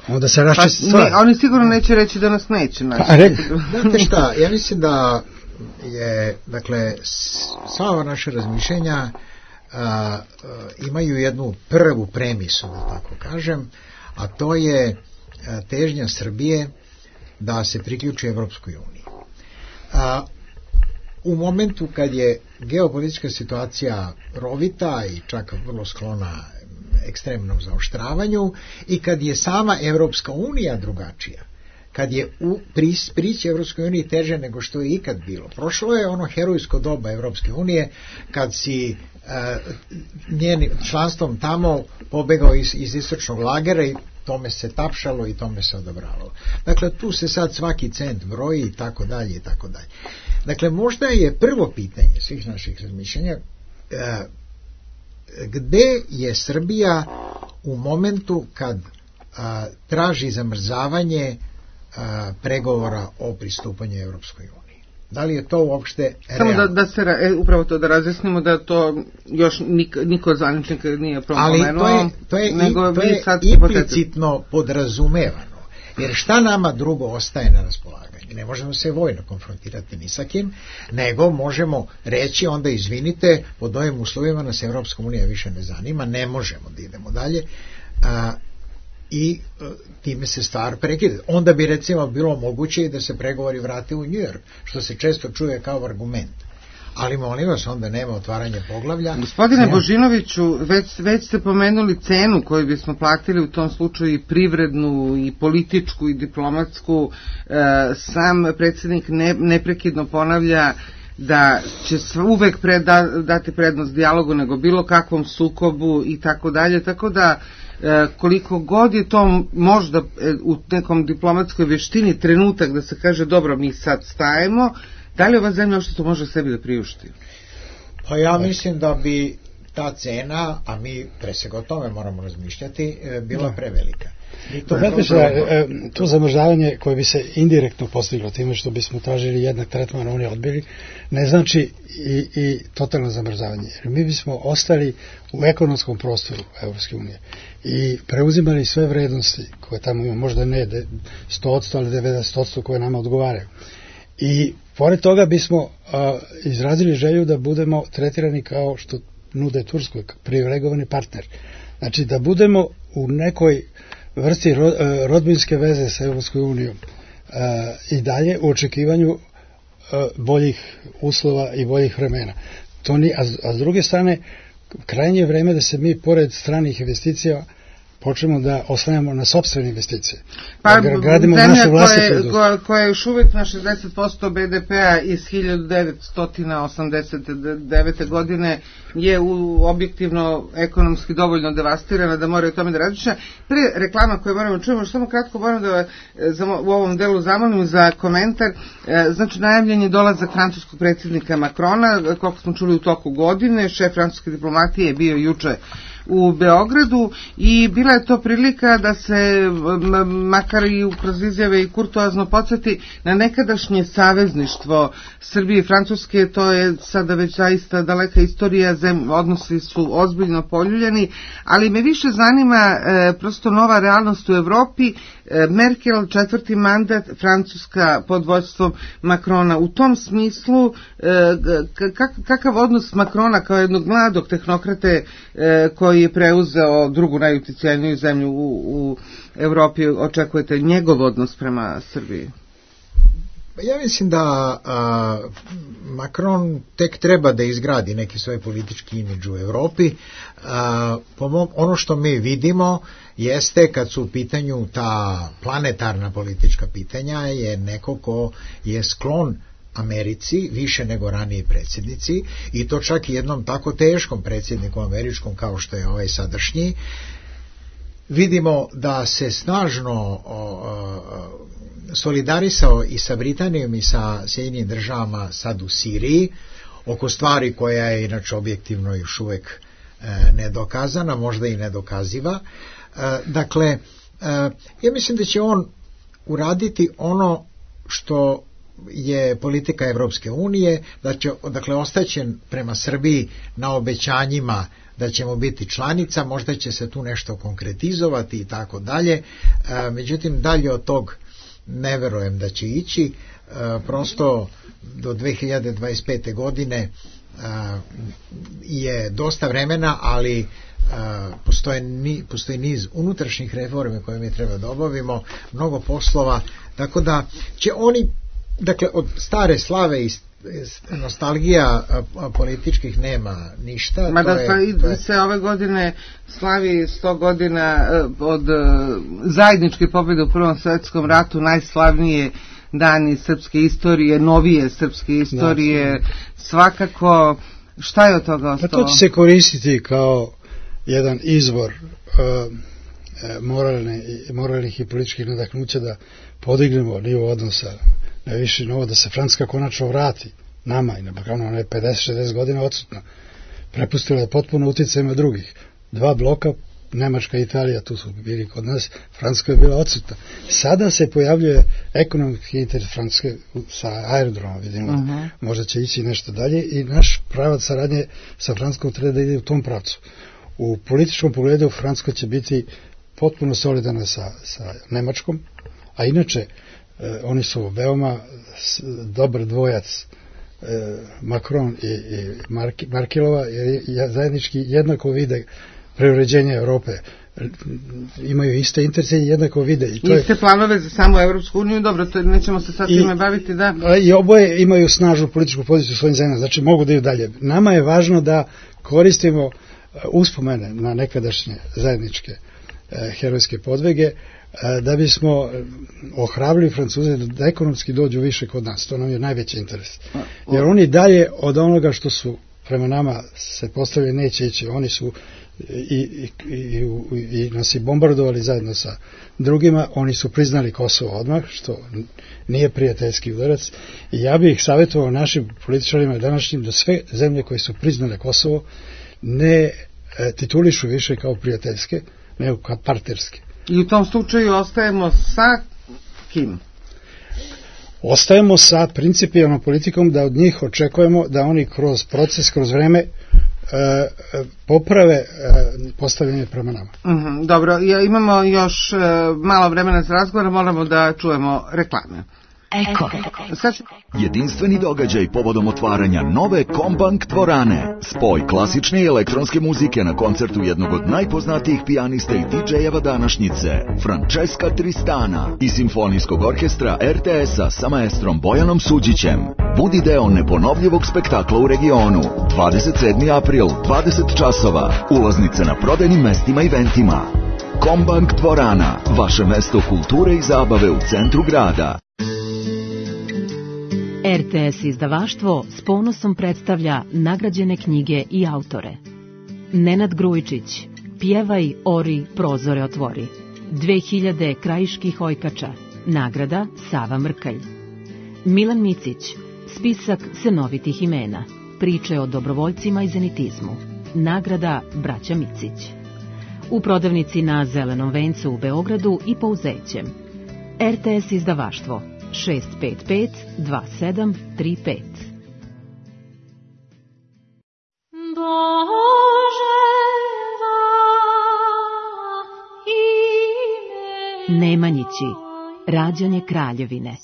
Onda se raščisti stvari. Oni sigurno neće reći da nas neće. Znate šta, ja mislim da je, dakle, sva naše razmišljenja imaju jednu prvu premisu, da tako kažem, a to je težnja Srbije da se priključi Evropskoj uniji. U momentu kad je geopolitička situacija rovita i čak vrlo sklona ekstremnom zaoštravanju i kad je sama Evropska unija drugačija, kad je prići Evropskoj uniji teže nego što je ikad bilo. Prošlo je ono herojsko doba Evropske unije kad si njenim članstvom tamo pobegao iz istočnog lagera i tome se tapšalo i tome se odobravalo. Dakle, tu se sad svaki cent broji i tako dalje i tako dalje. Dakle, možda je prvo pitanje svih naših razmišljenja gde je Srbija u momentu kad traži zamrzavanje pregovora o pristupanju Evropskoj uniji. Da li je to uopšte realno? Samo da se upravo to da razjasnimo da to još niko od zvaničnika nije propomenuo. Ali to je implicitno podrazumevano. Jer šta nama drugo ostaje na raspolaganju? Ne možemo se vojno konfrontirati ni sa kim, nego možemo reći onda izvinite, pod ovim uslovima nas Evropska unija više ne zanima, ne možemo da idemo dalje. I time se stvar prekida. Onda bi recimo bilo moguće da se pregovori vrate u New York, što se često čuje kao argument. Ali molim vas, onda nema otvaranja poglavlja. Gospodine Božinoviću, već ste pomenuli cenu koju bismo platili u tom slučaju i privrednu i političku i diplomatsku. Sam predsjednik neprekidno ponavlja da će uvek dati prednost dijalogu nego bilo kakvom sukobu i tako dalje, tako da koliko god je to možda u nekom diplomatskoj vještini trenutak da se kaže dobro mi sad stajemo, da li ova zemlja što to može sebi da priušti? Pa ja mislim da bi ta cena, a mi pre svega o tome moramo razmišljati, bila prevelika. To zamrzavanje koje bi se indirektno postiglo time što bismo tražili jednak tretman, oni odbili, ne znači i totalno zamrzavanje. Jer mi bismo ostali u ekonomskom prostoru Evropske unije i preuzimali sve vrednosti koje tamo imamo, možda ne 100%, ali 90% koje nama odgovaraju. I pored toga bismo izrazili želju da budemo tretirani kao što nude Turskoj, privilegovani partner. Znači da budemo u nekoj vrsti rodbinske veze sa Evropskom unijom i dalje u očekivanju boljih uslova i boljih vremena. A s druge strane, krajnje je vreme da se mi pored stranih investicija počnemo da oslanjamo na sopstvene investicije. Pa zemlja koja je još uvijek na 60% BDP-a iz 1989. godine je objektivno ekonomski dovoljno devastirana da moraju o tome da razmišlja. Pre reklama koje moramo čujemo, samo kratko moram da u ovom delu zamolim za komentar. Znači, najavljen je dolazak francuskog predsjednika Macrona, koliko smo čuli u toku godine, šef francuske diplomatije je bio juče u Beogradu i bila je to prilika da se makar i kroz izjave i kurtoazno podsjeti na nekadašnje savezništvo Srbije i Francuske. To je sada već zaista daleka istorija, odnosi su ozbiljno poljuljeni, ali me više zanima prosto nova realnost u Evropi. Merkel, 4. mandat, Francuska pod vodstvom Macrona. U tom smislu, kakav odnos Macrona kao jednog mladog tehnokrate koji je preuzeo drugu najuticajniju zemlju u Evropi, očekujete njegov odnos prema Srbiji? Ja mislim da Macron tek treba da izgradi neki svoj politički imidž u Evropi. Ono što mi vidimo jeste, kad su u pitanju ta planetarna politička pitanja, je neko ko je sklon Americi više nego raniji predsjednici, i to čak i jednom tako teškom predsjedniku američkom kao što je ovaj sadašnji. Vidimo da se snažno solidarisao i sa Britanijom i sa Sjedinjenim državama sad u Siriji oko stvari koja je inače objektivno još uvek nedokazana, možda i nedokaziva. Dakle, ja mislim da će on uraditi ono što je politika Evropske unije, da će, dakle, ostaće prema Srbiji na obećanjima da ćemo biti članica, možda će se tu nešto konkretizovati i tako dalje, međutim dalje od tog ne verujem da će ići. Prosto do 2025. godine je dosta vremena, ali postoji niz unutrašnjih reformi koje mi treba da obavimo, mnogo poslova, tako da će oni, dakle, od stare slave i nostalgija političkih nema ništa. Mada se ove godine slavi 100 godina od zajedničke pobjede u Prvom svjetskom ratu, najslavnije dani srpske istorije, novije srpske istorije, svakako. Šta je od toga ostalo? Pa to će se koristiti kao jedan izvor moralnih i političkih nadahnuća da podignemo nivo odnosa na viši novo, da se Francuska konačno vrati nama i na Balkanu. Ona je 50-60 godina odsutna, prepustila je potpuno utjecajima drugih. Dva bloka, Nemačka i Italija, tu su bili kod nas, Francuska je bila odsutna. Sada se pojavljuje ekonomski interes Francuske sa aerodroma, vidimo, možda će ići nešto dalje, i naš pravac saradnje sa Francuskom treba da ide u tom pravcu. U političkom pogledu Francuska će biti potpuno solidarna sa Nemačkom, a inače oni su veoma dobar dvojac, Macron i Merkelova, jer zajednički jednako vide preuređenje Europe, imaju iste interese i jednako vide. Iste planove za samu Evropsku uniju, dobro, to nećemo se sad time baviti, da. I oboje imaju snažnu političku poziciju u svojim zemljama, znači mogu da idu dalje. Nama je važno da koristimo uspomene na nekadašnje zajedničke herojske podvige, da bismo ohrabrili Francuze da ekonomski dođu više kod nas. To nam je najveći interes. Jer oni dalje od onoga što su prema nama se postavili neće ići. Oni su i nas i bombardovali zajedno sa drugima. Oni su priznali Kosovo odmah, što nije prijateljski udarac. I ja bih savjetovao našim političarima današnjim da sve zemlje koje su priznale Kosovo ne titulišu više kao prijateljske, nego kao partnerske. I u tom slučaju ostajemo sa kim? Ostajemo sa principijalnom politikom da od njih očekujemo da oni kroz proces, kroz vreme poprave postavljanje prema nama. Dobro, imamo još malo vremena za razgovor, moramo da čujemo reklame. Eko. Jedinstveni događaj povodom otvaranja nove Kombank dvorane. Spoj klasične i elektronske muzike na koncertu jednog od najpoznatijih pijanista i DJ-eva današnjice, Francesca Tristana, i simfonijskog orkestra RTS-a sa maestrom Bojanom Suđićem. Budi deo neponovljivog spektakla u regionu. 27. april, 20 časova. Ulaznice na prodajnim mestima i eventima. Kombank dvorana, vaše mesto kulture i zabave u centru grada. RTS izdavaštvo s ponosom predstavlja nagrađene knjige i autore. Nenad Grujičić, Pjevaj, ori, prozore otvori. 2000 krajiških ojkača, nagrada Sava Mrkalj. Milan Micić, spisak senovitih imena, priče o dobrovoljcima i zenitizmu, nagrada Braća Micić. U prodavnici na Zelenom vencu u Beogradu i Pouzećem. RTS izdavaštvo 655-2735. Nemanjići, rađanje kraljevine.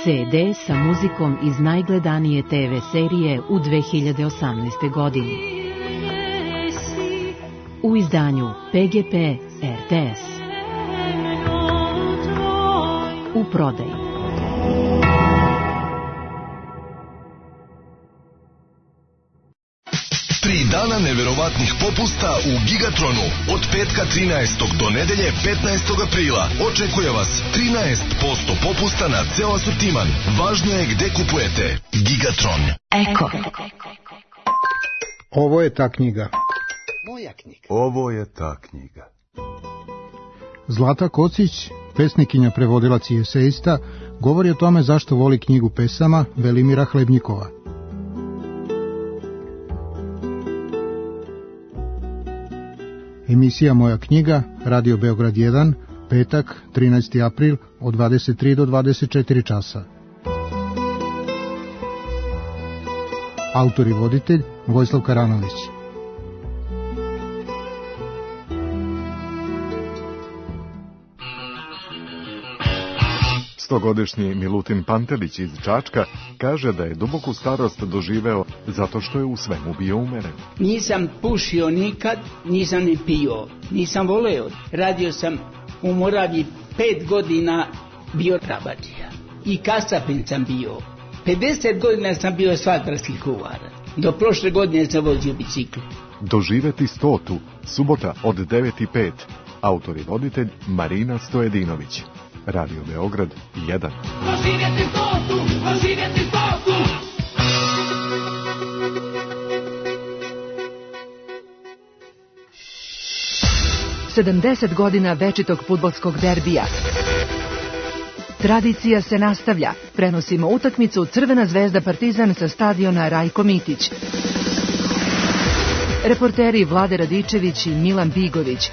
CD sa muzikom iz najgledanije TV serije u 2018. godini. U izdanju PGP RTS. U prodaju. 3 dana neverovatnih popusta u Gigatronu. Od petka 13. do nedelje 15. aprila. Očekuje vas 13% popusta na ceo asortiman. Važno je gde kupujete. Gigatron. Eko. Ovo je ta knjiga. Moja knjiga. Ovo je ta knjiga. Zlata Kocić, pesnikinja, prevodilac i esejista, govori o tome zašto voli knjigu pesama Velimira Hlebnjikova. Emisija Moja knjiga, Radio Beograd 1, petak, 13. april, od 23 do 24 časa. Autor i voditelj Vojislav Karanović. Stogodišnji Milutin Pantelić iz Čačka kaže da je duboku starost doživeo zato što je u svemu bio umeren. Nisam pušio nikad, nisam ni pio, nisam voleo. Radio sam u Moraviji 5 godina, bio rabačija. I kasapin sam bio. 50 godina sam bio asfaltarski kuvar. Do prošle godine sam vozio bicikl. Doživeti 100. Subota od 9:05. Autor i voditelj Marina Stojedinović. Radio Beograd 1. Doživjeti 100. 70 godina večitog fudbalskog derbija. Tradicija se nastavlja. Prenosimo utakmicu Crvena zvezda Partizan sa stadiona Rajko Mitić. Reporteri Vlade Radičević i Milan Bigović.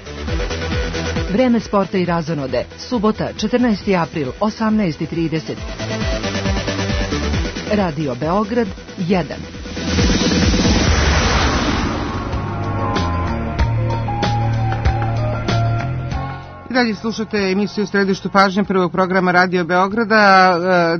Vreme sporta i razonode. Subota, 14. april, 18:30. Radio Beograd 1. I dalje slušate emisiju Središtu pažnje prvog programa Radio Beograda.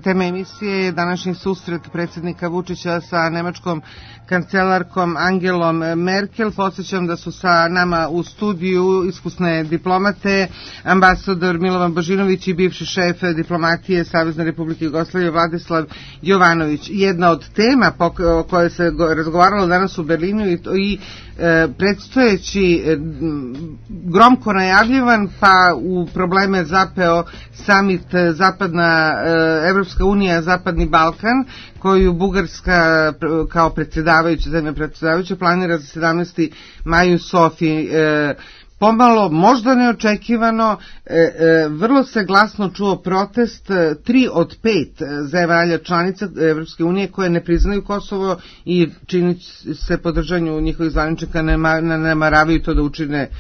Tema emisije je današnji susret predsjednika Vučića sa nemačkom kancelarkom Angelom Merkel. Podsjećam da su sa nama u studiju iskusne diplomate, ambasador Milovan Božinović i bivši šef diplomatije Savezne Republike Jugoslavije Vladislav Jovanović. Jedna od tema o kojoj se razgovaralo danas u Berlinu i predstojeći gromko najavljivan, pa u probleme zapeo samit Zapadna Evropska unija, Zapadni Balkan, koju Bugarska kao zemlja predsjedavajuća planira za 17. maj u Sofiji. pomalo, možda neočekivano, vrlo se glasno čuo protest 3 od 5 zemalja članica Evropske unije koje ne priznaju Kosovo i čini se podržanju njihovih zvaničnika ne namaravaju to da učine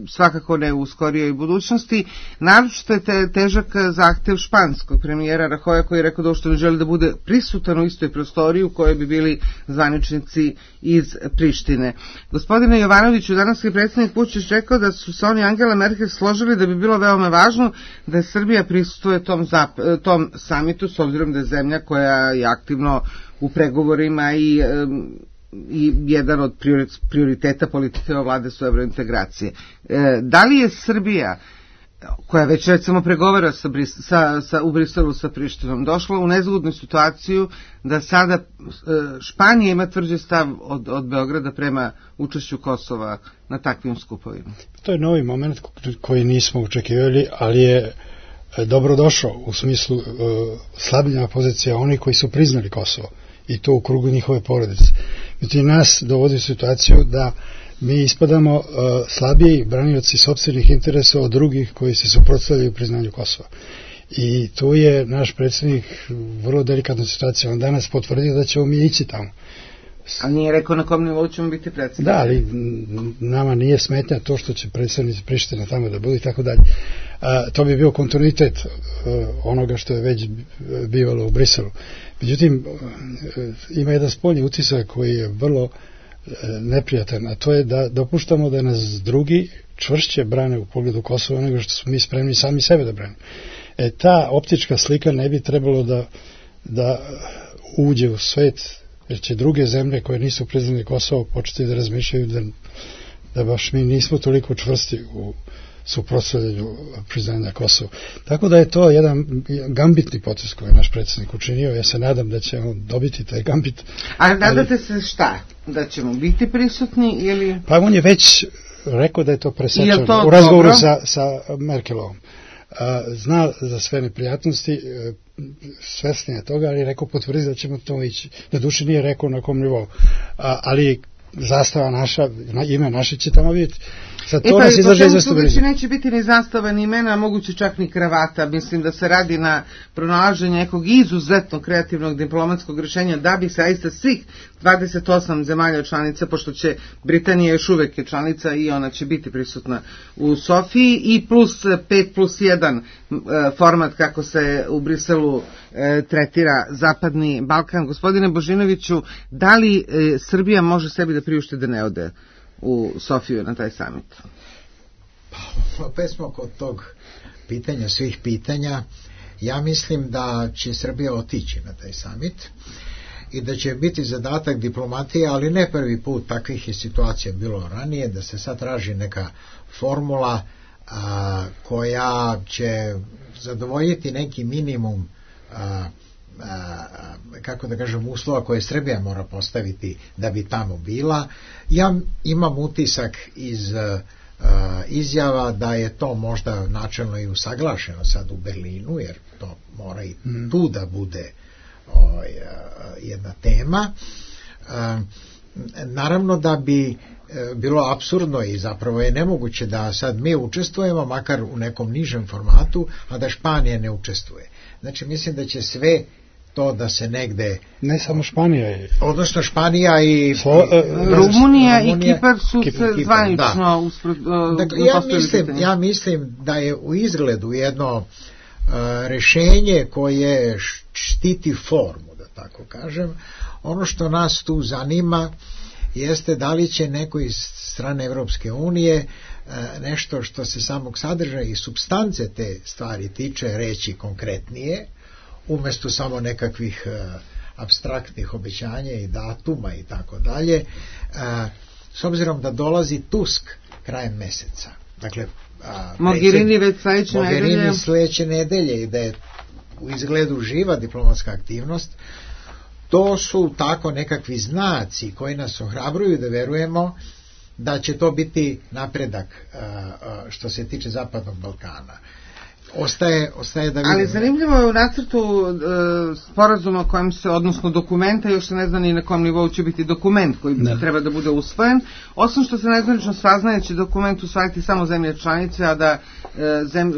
svakako ne u skorijoj budućnosti. Naročito je težak zahtev španskog premijera Rajoja koji je rekao da uopšte ne želi da bude prisutan u istoj prostoriji u kojoj bi bili zvaničnici iz Prištine. Gospodine Jovanoviću, danas je predsjednik Vučić rekao da su se oni i Angela Merkel složili da bi bilo veoma važno da Srbija prisustuje tom samitu, s obzirom da je zemlja koja je aktivno u pregovorima i jedan od prioriteta politike vlade su evrointegracije. Da li je Srbija, koja već recimo pregovara u Briselu sa Prištinom, došla u nezgodnu situaciju da sada Španija ima tvrđi stav od Beograda prema učešću Kosova na takvim skupovima? To je novi moment koji nismo očekivali, ali je dobro došao u smislu slabljenja pozicija onih koji su priznali Kosovo i to u krugu njihove porodice. Međutim, nas dovodi u situaciju da mi ispadamo slabiji branioci sopstvenih interesa od drugih koji se suprotstavljaju priznanju Kosova. I tu je naš predsjednik vrlo delikatna situacija. On danas potvrdio da ćemo mi ići tamo. A nije rekao na kom nivou ćemo biti predsjednik? Da, ali nama nije smetnja to što će predstavnici Prištine tamo da budu i tako dalje. To bi bio kontinuitet onoga što je već bivalo u Briselu. Međutim, ima jedan spoljni utisak koji je vrlo neprijatan, a to je da dopuštamo da nas drugi čvršće brane u pogledu Kosova nego što smo mi spremni sami sebe da branimo. Ta optička slika ne bi trebalo da uđe u svet, jer će druge zemlje koje nisu priznali Kosovo početi da razmišljaju da baš mi nismo toliko čvrsti u suprotstavljanju priznanja Kosova. Tako da je to jedan gambitni potez koji je naš predsjednik učinio. Ja se nadam da ćemo dobiti taj gambit. A nadate se šta? Da ćemo biti prisutni ili... Pa on je već rekao da je to presečeno u razgovoru sa Merkelovom. Zna za sve neprijatnosti, svesni je toga, ali je rekao potvrdi da ćemo to ići. Na duši nije rekao na kom nivou. Ali zastava naša, ime naše će tamo vidjeti. Tu neće biti ni zastava, ni imena, moguće čak ni kravata. Mislim da se radi na pronalaženju nekog izuzetno kreativnog diplomatskog rješenja da bi zaista svih 28 zemalja članica, pošto će Britanija još uvek je članica i ona će biti prisutna u Sofiji, i plus 5+1 format kako se u Briselu tretira Zapadni Balkan. Gospodine Božinoviću, da li Srbija može sebi da priušti da ne ode u Sofiju na taj samit? Pa opet smo kod tog pitanja, svih pitanja. Ja mislim da će Srbija otići na taj samit i da će biti zadatak diplomatije, ali ne prvi put, takvih je situacija bilo ranije, da se sad traži neka formula koja će zadovoljiti neki minimum kako da kažem uslova koje Srbija mora postaviti da bi tamo bila. Ja imam utisak iz izjava da je to možda načelno i usaglašeno sad u Berlinu, jer to mora i tu da bude jedna tema. Naravno da bi bilo apsurdno i zapravo je nemoguće da sad mi učestvujemo, makar u nekom nižem formatu, a da Španija ne učestvuje. Znači mislim da će sve to da se negde... Ne samo Španija. Odnosno Španija i... Rumunija i Kipar su se zvanično... Dakle, ja mislim da je u izgledu jedno rešenje koje štiti formu, da tako kažem. Ono što nas tu zanima jeste da li će neko iz strane Evropske unije nešto što se samog sadržaja i supstance te stvari tiče reći konkretnije, umjesto samo nekakvih apstraktnih obećanja i datuma i tako dalje, s obzirom da dolazi Tusk krajem meseca. Dakle, Mogherini već sledeće nedelje i da je u izgledu živa diplomatska aktivnost. To su tako nekakvi znaci koji nas ohrabruju da verujemo da će to biti napredak što se tiče Zapadnog Balkana. ostaje da vidimo. Ali zanimljivo je u nacrtu sporazuma kojem se, odnosno dokumenta, još se ne zna ni na kom nivou će biti dokument koji treba da bude usvojen, osim što se nezvanično saznaje će dokument usvajati samo zemlje članice, a da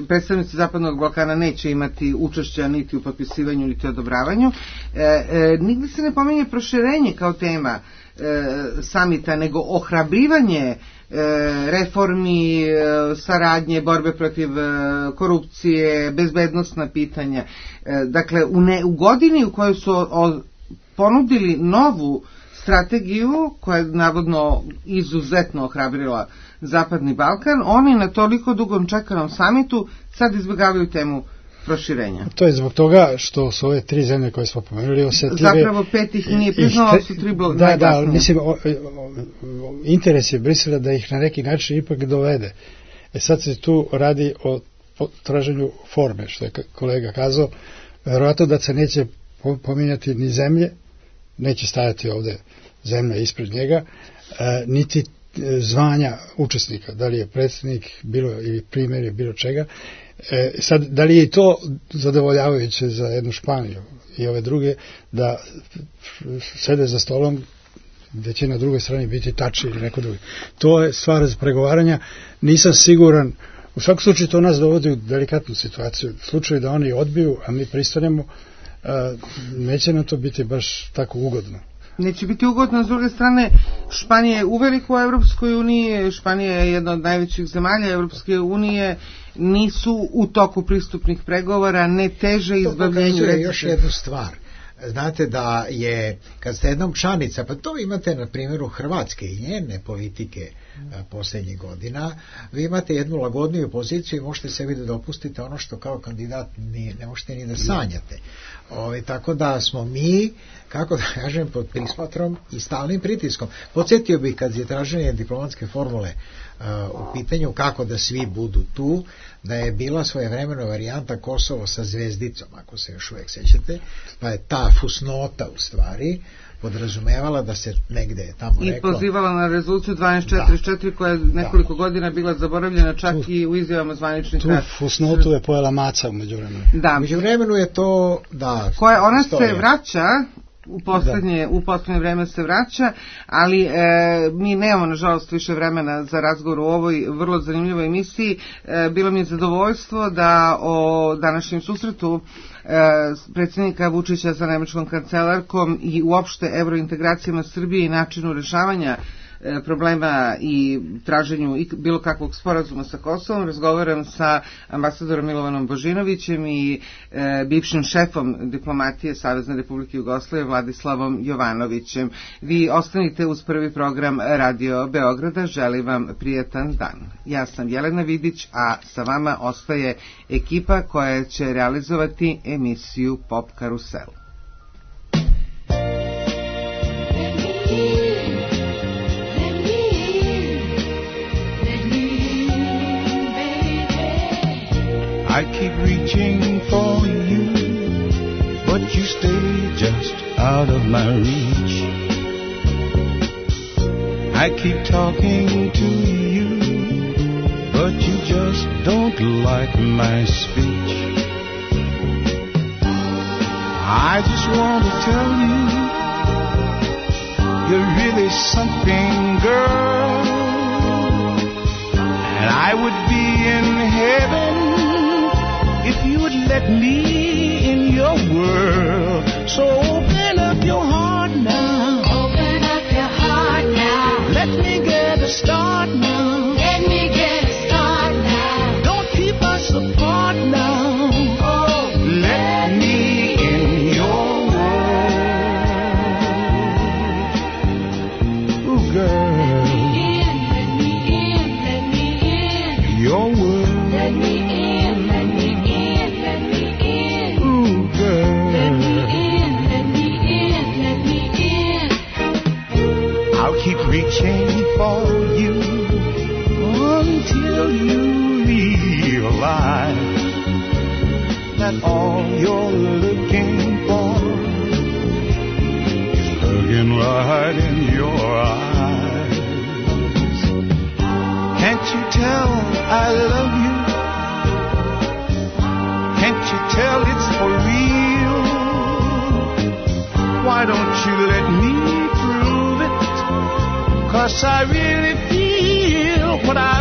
predstavnici Zapadnog Balkana neće imati učešća niti u potpisivanju, niti odobravanju. Nigde se ne pominje proširenje kao tema samita, nego ohrabrivanje reformi, saradnje, borbe protiv korupcije, bezbednosna pitanja. Dakle, u godini u kojoj su ponudili novu strategiju, koja je navodno izuzetno ohrabrila Zapadni Balkan, oni na toliko dugom čekanom samitu sad izbjegavaju temu proširenja. To je zbog toga što su ove tri zemlje koje smo pomenuli osetljive. Zapravo pet ih nije priznalo, su tri najglasnije. Da, mislim, interes je Brisela da ih na neki način ipak dovede. Sad se tu radi o traženju forme, što je kolega kazao. Verovatno da se neće pominjati ni zemlje, neće stajati ovde zemlja ispred njega, niti zvanja učesnika, da li je predsjednik bilo ili primjer bilo čega. Sad, da li je i to zadovoljavajuće za jednu Španiju i ove druge, da sede za stolom gde će na drugoj strani biti Tači ili neko drugi. To je stvar za pregovaranja. Nisam siguran, u svakom slučaju to nas dovodi u delikatnu situaciju. U slučaju da oni odbiju, a mi pristanemo, neće nam to biti baš tako ugodno. Neće biti ugodno, s druge strane Španija je uveliko u Evropskoj uniji, Španija je jedna od najvećih zemalja Evropske unije, nisu u toku pristupnih pregovora, ne teže izbavljenju. To pokazuje još jednu stvar. Znate da je, kad ste jednom članica, pa to imate na primjeru Hrvatske i njene politike posljednjih godina, vi imate jednu lagodniju poziciju i možete sebi da dopustite ono što kao kandidat ne možete ni da sanjate. Tako da smo mi, kako da kažem, pod prismatrom i stalnim pritiskom. Podsjetio bih kad je traženje diplomatske formule u pitanju kako da svi budu tu, da je bila svojevremena varijanta Kosovo sa zvezdicom, ako se još uvijek sećate, pa je ta fusnota u stvari podrazumevala da se negde tamo reklo... I pozivala na rezoluciju 1244 koja je nekoliko godina bila zaboravljena čak i u izjavama zvaničnih. Tu fusnotu je pojela maca umeđu vremenu. Da. Među vremenu je to... Ona se vraća... U poslednje vreme se vraća, ali mi nemamo nažalost više vremena za razgovor u ovoj vrlo zanimljivoj emisiji. Bilo mi je zadovoljstvo da o današnjem susretu predsjednika Vučića sa nemačkom kancelarkom i uopšte evrointegracijama Srbije i načinu rešavanja problema i traženju bilo kakvog sporazuma sa Kosovom. Razgovaram sa ambasadorom Milovanom Božinovićem i bivšim šefom diplomatije Savezne Republike Jugoslavije Vladislavom Jovanovićem. Vi ostanite uz prvi program Radio Beograda. Želim vam prijatan dan. Ja sam Jelena Vidić, a sa vama ostaje ekipa koja će realizovati emisiju Pop Karusel. I keep reaching for you, but you stay just out of my reach. I keep talking to you, but you just don't like my speech. I just want to tell you, you're really something, girl, and I would be in heaven if you would let me in your world. So open up your heart now. Open up your heart now. Let me get a start now. Let me get a start now. Don't keep us apart now. Oh, let me in your world. Ooh, girl. Let me in. Your world. Let me in. Keep reaching for you until you realize that all you're looking for is looking right in your eyes. Can't you tell I love you? why don't you let me prove it? 'Cause I really feel what I